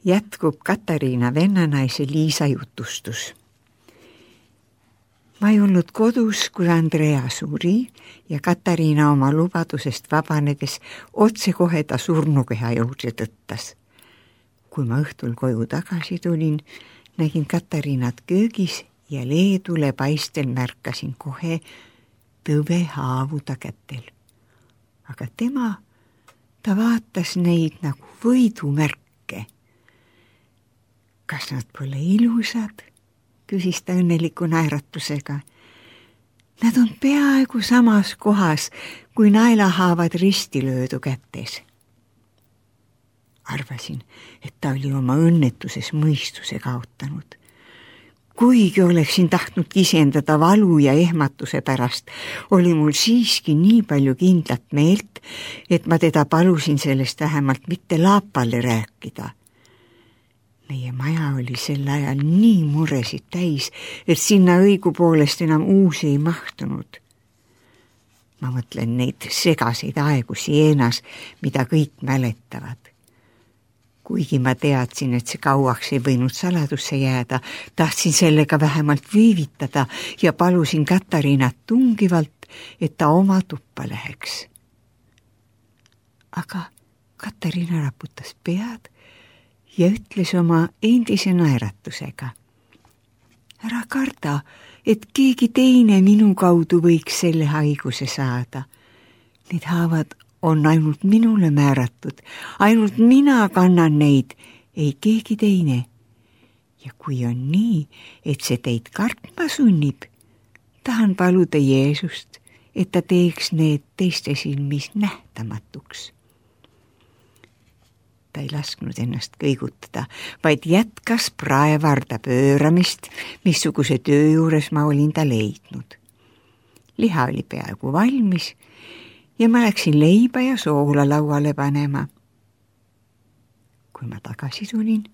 Jätkub Katariina vennanaise Liisa jutustus. Ma ei olnud kodus, kui Andrea suri ja Katariina oma lubadusest vabanedes otsekohe ta surnukeha juurde tõttas. Kui ma õhtul koju tagasi tulin, nägin Katariinat köögis ja leedule paistel märkasin kohe tõve haavu ta kätel. Aga ta vaatas neid nagu võidumärke. Kas nad pole ilusad? Küsis ta õnneliku naeratusega. Nad on peaaegu samas kohas, kui naelahaavad ristilöödu kätes. Arvasin, et ta oli oma õnnetuses mõistuse kaotanud. Kuigi oleksin tahtnud kisendada valu ja ehmatuse pärast, oli mul siiski nii palju kindlat meelt, et ma teda palusin sellest vähemalt mitte laapale rääkida. Meie maja oli sel ajal nii muresid täis, et sinna õigupoolest enam uusi ei mahtunud. Ma mõtlen neid segaseid aegu Sienas, mida kõik mäletavad. Kuigi ma teadsin, et see kauaks ei võinud saladusse jääda, tahtsin sellega vähemalt viivitada ja palusin Katariinat tungivalt, et ta oma tuppa läheks. Aga Katariina raputas pead ja ütles oma endise naeratusega. Ära karda, et keegi teine minu kaudu võiks selle haiguse saada. Need haavad on ainult minule määratud, ainult mina kannan neid, ei keegi teine. Ja kui on nii, et see teid kartma sunnib, tahan paluda Jeesust, et ta teeks need teiste silmis nähtamatuks. Ta ei lasknud ennast kõigutada, vaid jätkas praevarda pööramist, missuguse töö juures ma olin ta leidnud. Liha oli peaaegu valmis ja ma läksin leiba ja soola lauale panema. Kui ma tagasi tulin,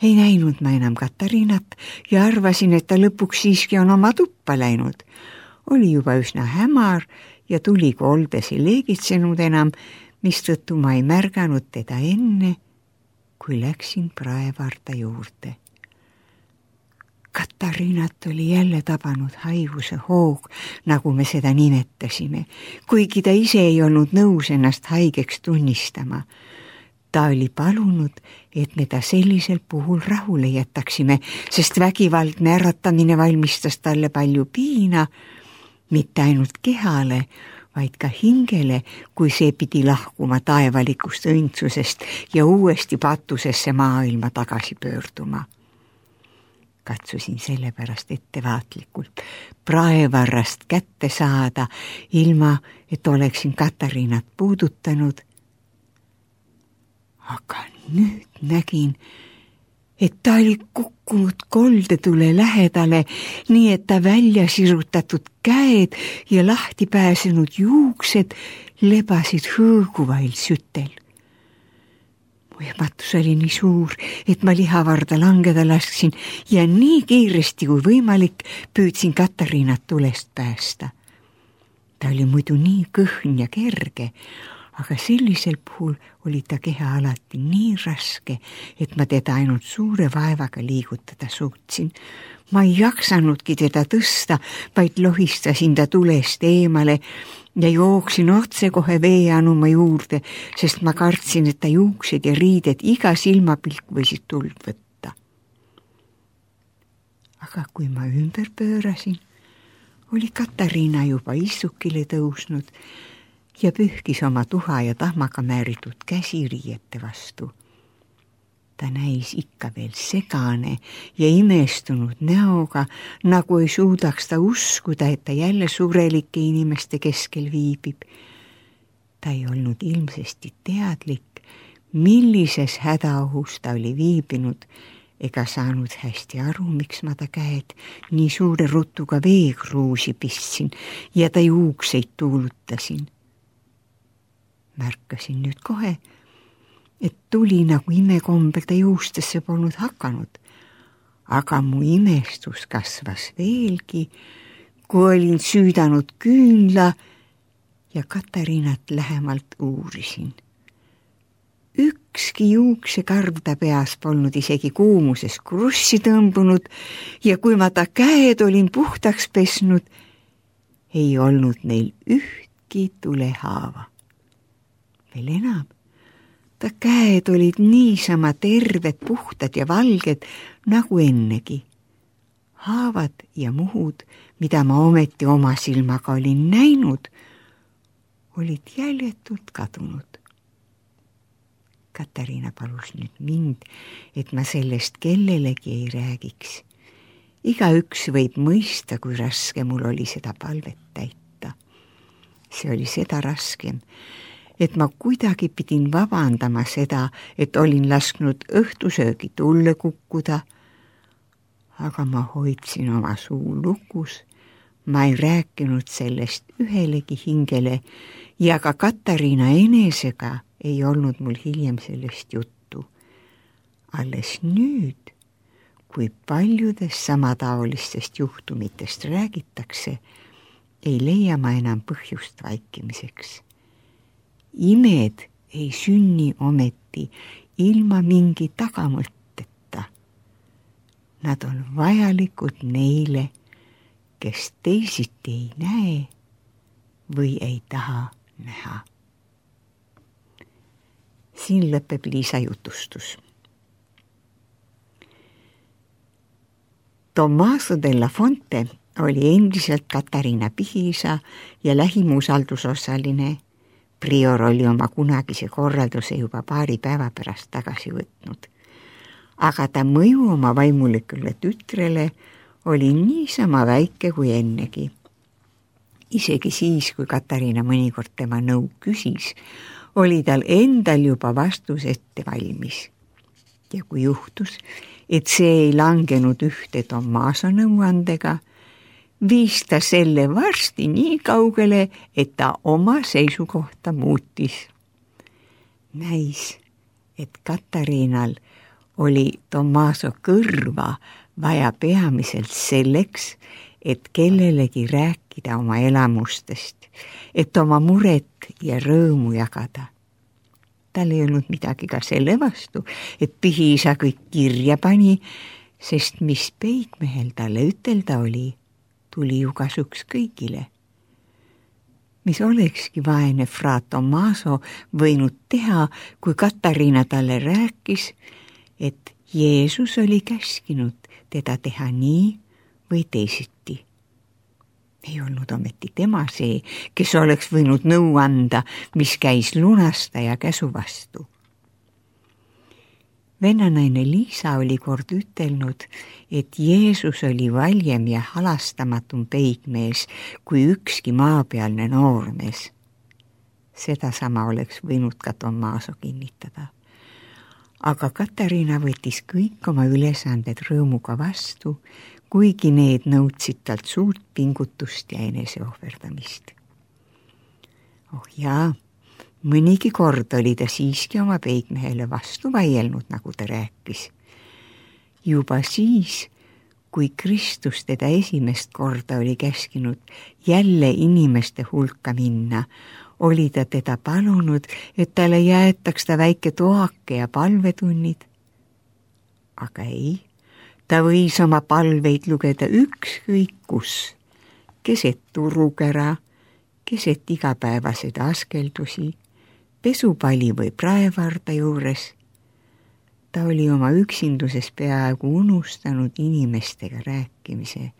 ei näinud ma enam Katariinat ja arvasin, et ta lõpuks siiski on oma tuppa läinud. Oli juba üsna hämar ja tuli koldes ei leegitsenud enam, mistõttu ma ei märganud teda enne, kui läksin praevarda juurde. Katariinat oli jälle tabanud haiguse hoog, nagu me seda nimetasime, kuigi ta ise ei olnud nõus ennast haigeks tunnistama. Ta oli palunud, et me ta sellisel puhul rahule jätaksime, sest vägivaldne äratamine valmistas talle palju piina, mitte ainult kehale, vaid ka hingele, kui see pidi lahkuma taevalikust õndsusest ja uuesti patusesse maailma tagasi pöörduma. Katsusin sellepärast ettevaatlikult praevarrast kätte saada, ilma et oleksin Katariinat puudutanud. Aga nüüd nägin, et ta oli kukkunud koldetule lähedale, nii et ta välja sirutatud käed ja lahti pääsenud juuksed lebasid hõõguvail sütel. Mu ehmatus oli nii suur, et ma lihavarda langeda lasksin ja nii kiiresti kui võimalik püüdsin Katariinat tulest päästa. Ta oli muidu nii kõhn ja kerge, aga sellisel puhul oli ta keha alati nii raske, et ma teda ainult suure vaevaga liigutada suutsin. Ma ei jaksanudki teda tõsta, vaid lohistasin ta tulest eemale ja jooksin otsekohe veeanuma juurde, sest ma kartsin, et ta juuksed ja riided iga silmapilk võisid tuld võtta. Aga kui ma ümber pöörasin, oli Katariina juba istukile tõusnud ja pühkis oma tuha ja tahmaga määritud käsi riiete vastu. Ta näis ikka veel segane ja imestunud näoga, nagu ei suudaks ta uskuda, et ta jälle surelike inimeste keskel viibib. Ta ei olnud ilmsesti teadlik, millises hädaohus ta oli viibinud, ega saanud hästi aru, miks ma ta käed nii suure rutuga veekruusi pistsin ja ta juukseid tuulutasin. Märkasin nüüd kohe, et tuli nagu imekombel ta juustesse polnud hakanud, aga mu imestus kasvas veelgi, kui olin süüdanud küünla ja Katariinat lähemalt uurisin. ükski juuksekarv ta peas polnud isegi kuumuses krussi tõmbunud ja kui ma ta käed olin puhtaks pesnud, ei olnud neil ühtki tulehaava. Veel enam, ta käed olid niisama terved, puhtad ja valged nagu ennegi. Haavad ja muhud, mida ma ometi oma silmaga olin näinud, olid jäljetult kadunud. Katariina palus nüüd mind, et ma sellest kellelegi ei räägiks. Igaüks võib mõista, kui raske mul oli seda palvet täita. See oli seda raskem, et ma kuidagi pidin vabandama seda, et olin lasknud õhtusöögi tulle kukkuda, aga ma hoidsin oma suu lukus, ma ei rääkinud sellest ühelegi hingele ja ka Katariina enesega ei olnud mul hiljem sellest juttu. Alles nüüd, kui paljudest samataolistest juhtumitest räägitakse, ei leia ma enam põhjust vaikimiseks. Imed ei sünni ometi ilma mingi tagamõtteta. Nad on vajalikud neile, kes teisiti ei näe või ei taha näha. Siin lõpeb Liisa jutustus. Tommaso della Fonte oli endiselt Katariina pihiisa ja lähim usaldusosaline. Prior oli oma kunagise korralduse juba paari päeva pärast tagasi võtnud. Aga ta mõju oma vaimulikule tütrele oli niisama väike kui ennegi. Isegi siis, kui Katariina mõnikord tema nõu küsis, oli tal endal juba vastus ette valmis. Ja kui juhtus, et see ei langenud ühte Tommaso nõuandega, viis ta selle varsti nii kaugele, et ta oma seisukohta muutis. Näis, et Katariinal oli Tommaso kõrva vaja peamiselt selleks, et kellelegi rääkida oma elamustest, et oma muret ja rõõmu jagada. Tal ei olnud midagi ka selle vastu, et pihiisa kõik kirja pani, sest mis peigmehel talle ütelda oli, tuli ju kasuks kõigile. Mis olekski vaene fra Tommaso võinud teha, kui Katariina talle rääkis, et Jeesus oli käskinud teda teha nii või teisiti. Ei olnud ometi tema see, kes oleks võinud nõu anda, mis käis lunastaja käsu vastu. Vennanaine Liisa oli kord ütelnud, et Jeesus oli valjem ja halastamatum peigmees kui ükski maapealne noormees. Sedasama oleks võinud ka Tommaso kinnitada. Aga Katariina võttis kõik oma ülesanded rõõmuga vastu, kuigi need nõudsid talt suurt pingutust ja eneseohverdamist. Oh jaa, mõnigi kord oli ta siiski oma peigmehele vastu vaielnud, nagu ta rääkis. Juba siis, kui Kristus teda esimest korda oli käskinud jälle inimeste hulka minna, oli ta teda palunud, et talle jäetaks ta väike toake ja palvetunnid. Aga ei, ta võis oma palveid lugeda ükskõik kus, keset turukära, keset igapäevaseid askeldusi, pesupali või praevarda juures. Ta oli oma üksinduses peaaegu unustanud inimestega rääkimise.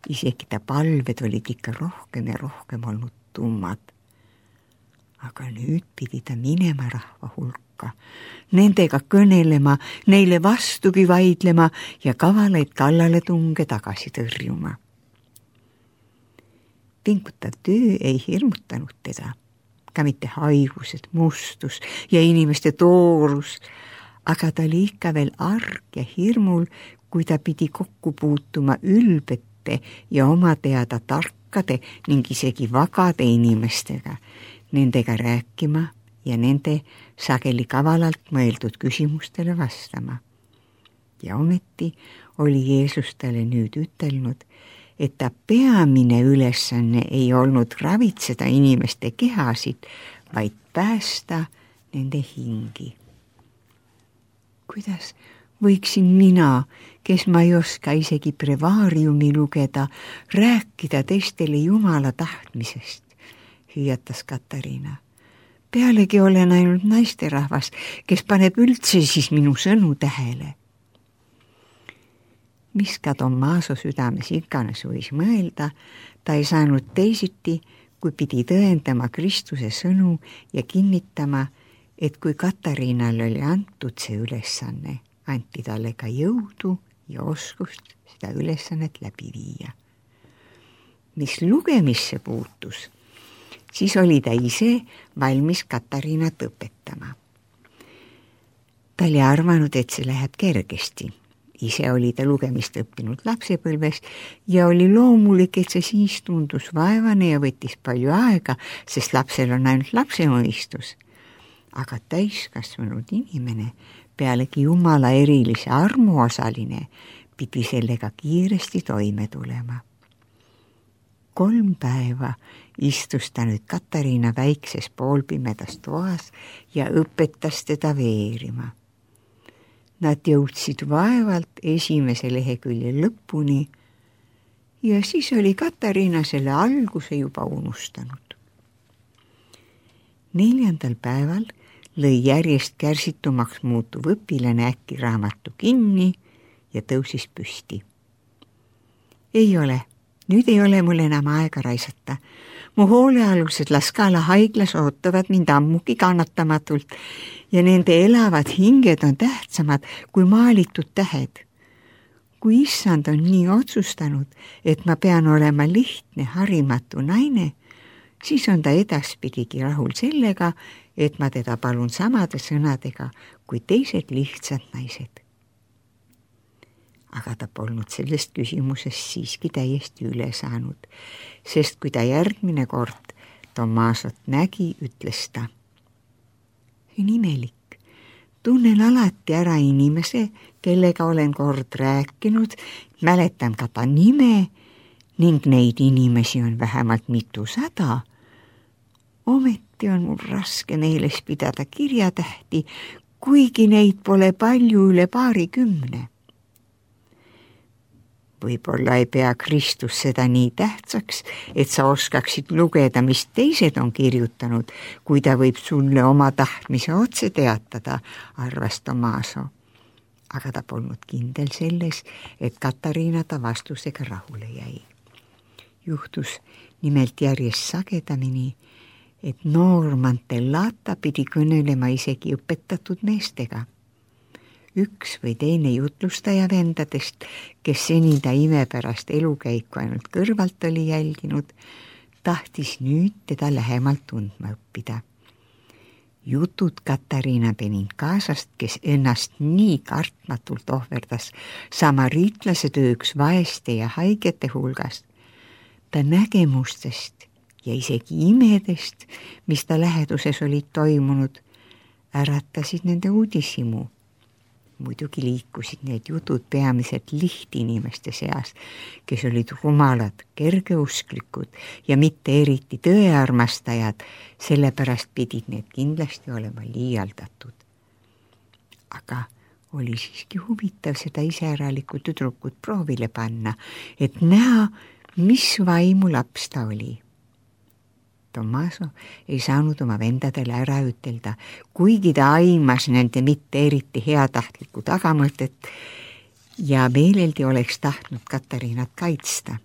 Isegi ta palved olid ikka rohkem ja rohkem olnud tummad. Aga nüüd pidi ta minema rahva hulka, nendega kõnelema, neile vastugi vaidlema ja kavalaid kallaletunge tagasi tõrjuma. Pingutav töö ei hirmutanud teda, ka mitte haigused, mustus ja inimeste toorus, aga ta oli ikka veel arg ja hirmul, kui ta pidi kokku puutuma ülbete ja oma teada tarkade ning isegi vagade inimestega, nendega rääkima ja nende sageli kavalalt mõeldud küsimustele vastama. Ja ometi oli Jeesus talle nüüd ütelnud, et ta peamine ülesanne ei olnud ravitseda inimeste kehasid, vaid päästa nende hingi. Kuidas võiksin mina, kes ma ei oska isegi brevaariumi lugeda, rääkida teistele Jumala tahtmisest, hüüatas Katariina. Pealegi olen ainult naisterahvas, kes paneb üldse siis minu sõnu tähele. Mis ka Tommaso südames iganes võis mõelda, ta ei saanud teisiti, kui pidi tõendama Kristuse sõnu ja kinnitama, et kui Katariinale oli antud see ülesanne, anti talle ka jõudu ja oskust seda ülesannet läbi viia. Mis lugemisse puutus, siis oli ta ise valmis Katariinat õpetama. Ta oli arvanud, et see läheb kergesti. Ise oli ta lugemist õppinud lapsepõlves ja oli loomulik, et see siis tundus vaevane ja võttis palju aega, sest lapsel on ainult lapse mõistus. Aga täiskasvanud inimene, pealegi Jumala erilise armu osaline, pidi sellega kiiresti toime tulema. 3 päeva istus ta nüüd Katariina väikses poolpimedas toas ja õpetas teda veerima. Nad jõudsid vaevalt esimese lehekülje lõpuni ja siis oli Katariina selle alguse juba unustanud. 4. päeval lõi järjest kärsitumaks muutuv õpilane äkki raamatu kinni ja tõusis püsti. Nüüd ei ole mul enam aega raisata. Mu hoolealused Laskala haiglas ootavad mind ammugi kannatamatult ja nende elavad hinged on tähtsamad kui maalitud tähed. Kui issand on nii otsustanud, et ma pean olema lihtne, harimatu naine, siis on ta edaspidigi rahul sellega, et ma teda palun samade sõnadega kui teised lihtsad naised. Aga ta polnud sellest küsimusest siiski täiesti üle saanud, sest kui ta järgmine kord Tommasot nägi, ütles ta. See on imelik. Tunnen alati ära inimese, kellega olen kord rääkinud, mäletan ka ta nime ning neid inimesi on vähemalt 200. Ometi on mul raske meeles pidada kirjatähti, kuigi neid pole palju üle 20. Võib-olla ei pea Kristus seda nii tähtsaks, et sa oskaksid lugeda, mis teised on kirjutanud, kui ta võib sulle oma tahtmise otse teatada, arvas Tommaso. Aga ta polnud kindel selles, et Katariina ta vastusega rahule jäi. Juhtus nimelt järjest sagedamini, et noor Mantellata pidi kõnelema isegi õpetatud meestega. Üks või teine jutlustaja vendadest, kes seni ta imepärast elukäiku ainult kõrvalt oli jälginud, tahtis nüüd teda lähemalt tundma õppida. Jutud Katariina Benincasast, kes ennast nii kartmatult ohverdas samariitlase tööks vaeste ja haigete hulgast, ta nägemustest ja isegi imedest, mis ta läheduses olid toimunud, äratasid nende uudishimu. Muidugi liikusid need jutud peamiselt lihtinimeste seas, kes olid rumalad, kergeusklikud ja mitte eriti tõearmastajad, sellepärast pidid need kindlasti olema liialdatud. Aga oli siiski huvitav seda iseäralikku tüdrukut proovile panna, et näha, mis vaimu laps ta oli. Tommaso ei saanud oma vendadele ära ütelda, kuigi ta aimas nende mitte eriti heatahtlikku tagamõtet ja meeleldi oleks tahtnud Katariinat kaitsta.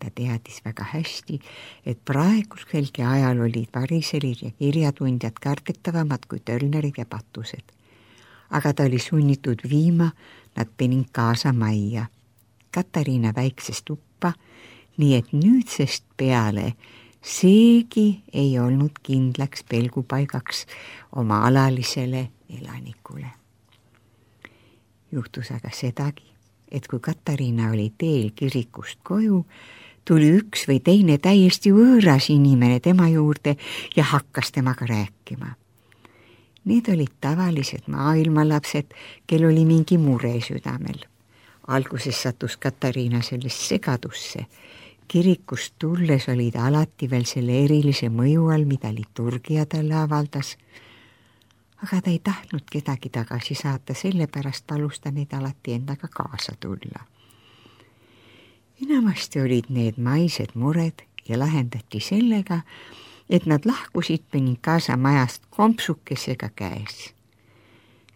Ta teadis väga hästi, et praeguselgi ajal olid variselid ja kirjatundjad kardetavamad kui tölnerid ja patused. Aga ta oli sunnitud viima nad Benincasa majja, Katariina väikses tuppa, nii et nüüdsest peale seegi ei olnud kindlaks pelgupaigaks oma alalisele elanikule. Juhtus aga sedagi, et kui Katariina oli teel kirikust koju, tuli üks või teine täiesti võõras inimene tema juurde ja hakkas temaga rääkima. Need olid tavalised maailmalapsed, kel oli mingi mure südamel. Alguses sattus Katariina sellest segadusse. Kirikust tulles oli ta alati veel selle erilise mõju all, mida liturgia talle avaldas. aga ta ei tahtnud kedagi tagasi saata, sellepärast palus ta neid alati endaga kaasa tulla. Enamasti olid need maised mured ja lahendati sellega, et nad lahkusid Benincasa majast kompsukesega käes.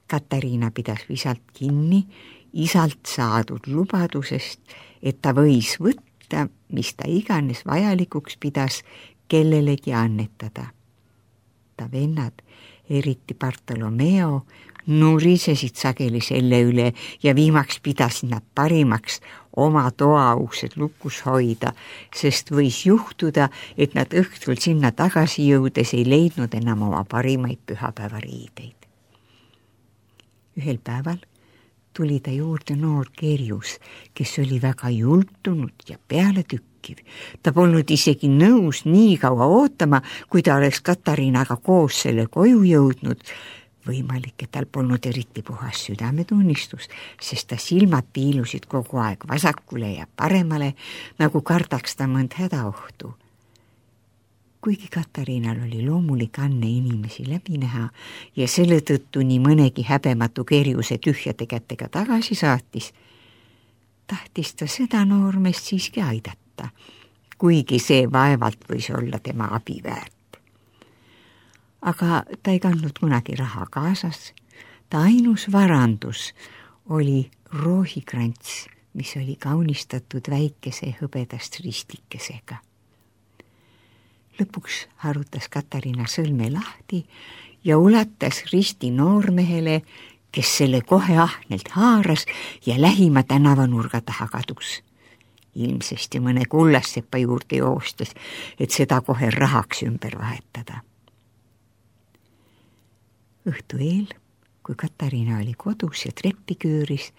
Katariina pidas visalt kinni isalt saadud lubadusest, et ta võis võtta, mis ta iganes vajalikuks pidas, kellelegi annetada. Ta vennad, eriti Bartolomeo, nurisesid sageli selle üle ja viimaks pidasid nad parimaks oma toauksed lukus hoida, sest võis juhtuda, et nad õhtul sinna tagasi jõudes ei leidnud enam oma parimaid pühapäevariideid. Ühel päeval tuli ta juurde noor kerjus, kes oli väga jultunud ja pealetükkiv. Ta polnud isegi nõus nii kaua ootama, kui ta oleks Katariinaga koos selle koju jõudnud. Võimalik, et tal polnud eriti puhas südametunnistus, sest ta silmad piilusid kogu aeg vasakule ja paremale, nagu kardaks ta mõnd hädaohtu. Kuigi Katariinal oli loomulik anne inimesi läbi näha ja selle tõttu nii mõnegi häbematu kerjuse tühjade kätega tagasi saatis, tahtis ta seda noormeest siiski aidata, kuigi see vaevalt võis olla tema abi väärt. Aga ta ei kandnud kunagi raha kaasas, ta ainus varandus oli roohikrants, mis oli kaunistatud väikese hõbedast ristikesega. Lõpuks harutas Katariina sõlme lahti ja ulatas risti noormehele, kes selle kohe ahnelt haaras ja lähima tänavanurga taha kadus. Ilmsesti mõne kullassepa juurde joostes, et seda kohe rahaks ümber vahetada. Õhtu eel, kui Katariina oli kodus ja treppi küüris,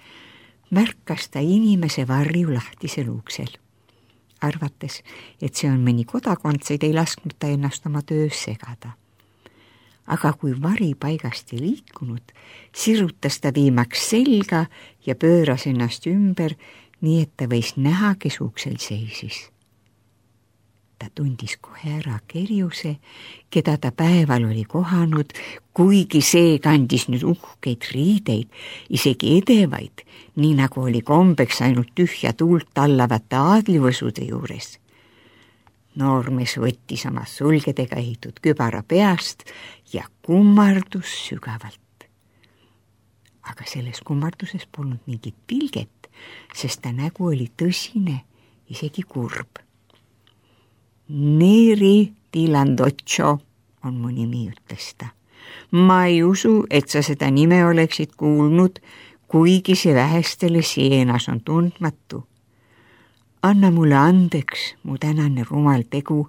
märkas ta inimese varju lahtisel uksel. Arvates, et see on mõni kodakondseid, ei lasknud ta ennast oma töös segada. Aga kui vari paigast ei liikunud, sirutas ta viimaks selga ja pööras ennast ümber, nii et ta võis näha, kes uksel seisis. Ta tundis kohe ära kerjuse, keda ta päeval oli kohanud, kuigi see kandis nüüd uhkeid riideid, isegi edevaid, nii nagu oli kombeks ainult tühja tuult tallavate aadlivõsude juures. Noormees võttis oma sulgedega ehitud kübara peast ja kummardus sügavalt. Aga selles kummarduses polnud mingit pilget, sest ta nägu oli tõsine, isegi kurb. Neri Tilandoccio on mu nimi, ütles ta. Ma ei usu, et sa seda nime oleksid kuulnud, kuigi see vähestele Sienas on tundmatu. Anna mulle andeks, mu tänane rumal tegu.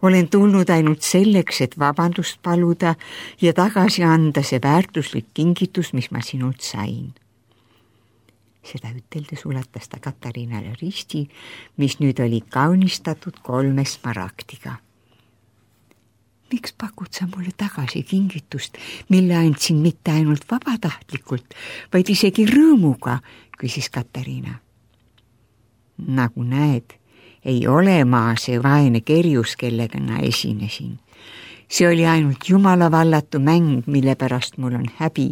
Olen tulnud ainult selleks, et vabandust paluda ja tagasi anda see väärtuslik kingitus, mis ma sinult sain. Seda üteldes ulatas ta Katariinale risti, mis nüüd oli kaunistatud 3 smaragdiga. Miks pakud sa mulle tagasi kingitust, mille andsin mitte ainult vabatahtlikult, vaid isegi rõõmuga, küsis Katariina. Nagu näed, ei ole ma see vaene kerjus, kellega ma esinesin. See oli ainult jumala vallatu mäng, mille pärast mul on häbi.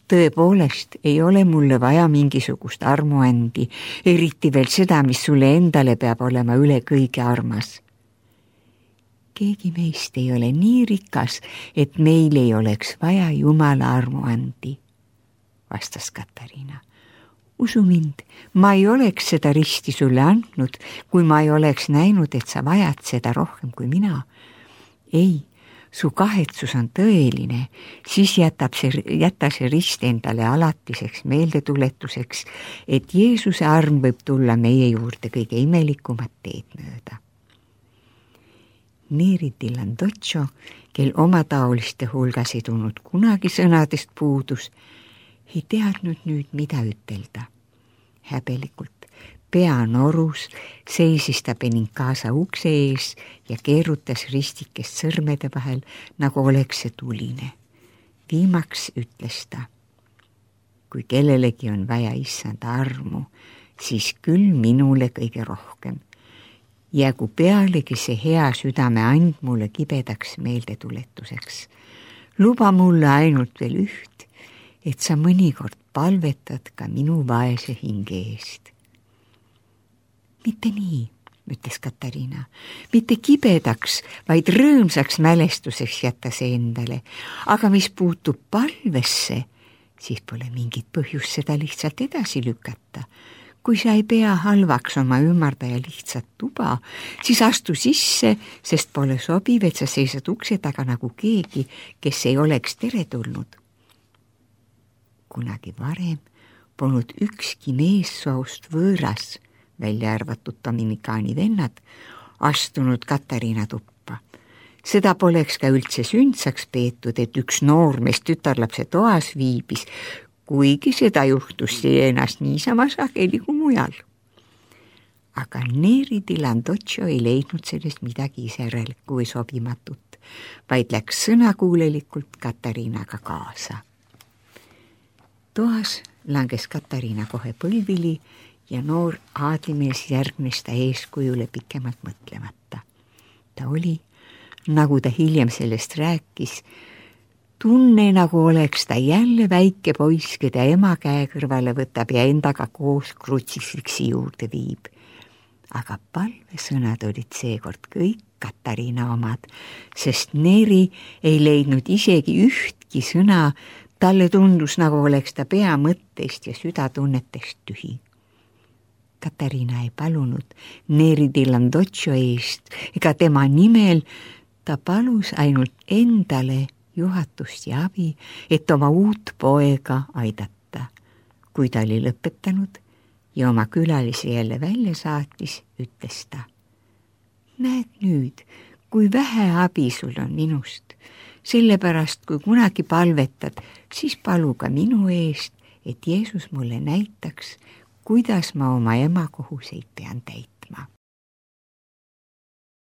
Tõepoolest ei ole mulle vaja mingisugust armuandi, eriti veel seda, mis sulle endale peab olema üle kõige armas. Keegi meist ei ole nii rikas, et meil ei oleks vaja jumala armuandi, vastas Katariina. Usu mind, ma ei oleks seda risti sulle andnud, kui ma ei oleks näinud, et sa vajad seda rohkem kui mina. Ei, su kahetsus on tõeline, siis jäta see rist endale alatiseks meeldetuletuseks, et Jeesuse arm võib tulla meie juurde kõige imelikumat teed mööda. Neri Tilandoccio, kel oma taoliste hulgas ei tulnud kunagi sõnadest puudus, ei teadnud nüüd, mida ütelda. Häbelikult pea norus seisis ta Benincasa ukse ees ja keerutas ristikest sõrmede vahel, nagu oleks see tuline. Viimaks ütles ta, kui kellelegi on vaja issanda armu, siis küll minule kõige rohkem. Jäägu pealegi see hea südame and mulle kibedaks meeldetuletuseks. luba mulle ainult veel üht, et sa mõnikord palvetad ka minu vaese hinge eest. Mitte nii, ütles Katariina, mitte kibedaks, vaid rõõmsaks mälestuseks jätta see endale, aga mis puutub palvesse, siis pole mingit põhjust seda lihtsalt edasi lükata. Kui sa ei pea halvaks oma ümardaja lihtsat tuba, siis astu sisse, sest pole sobiv, et sa seisad ukse taga nagu keegi, kes ei oleks teretulnud. Kunagi varem polnud ükski meessoost võõras, välja arvatud Dominikaani vennad, astunud Katariina tuppa. Seda poleks ka üldse sündsaks peetud, et üks noormees tütarlapse toas viibis, kuigi seda juhtus Sienast niisama sageli kui mujal. Aga Neri di Landoccio ei leidnud sellest midagi iserälikku või sobimatut, vaid läks sõnakuulelikult Katariinaga kaasa. Toas langes Katariina kohe põlvili ja noor aadlimees järgnes ta eeskujule pikemalt mõtlemata. Ta oli, nagu ta hiljem sellest rääkis, tunne, nagu oleks ta jälle väike poiss, keda ema käe kõrvale võtab ja endaga koos krutsifiksi juurde viib. Aga palvesõnad olid seekord kõik Katariina omad, sest Neri ei leidnud isegi ühtki sõna. Talle tundus, nagu oleks ta pea mõttest ja südatunnetest tühi. Katariina ei palunud Neri di Landoccio eest ega tema nimel, ta palus ainult endale juhatust ja abi, et oma uut poega aidata. Kui ta oli lõpetanud ja oma külalisi jälle välja saatis, ütles ta: näed nüüd, kui vähe abi sul on minust, sellepärast kui kunagi palvetad, siis palu ka minu eest, et Jeesus mulle näitaks, kuidas ma oma ema kohuseid pean täitma.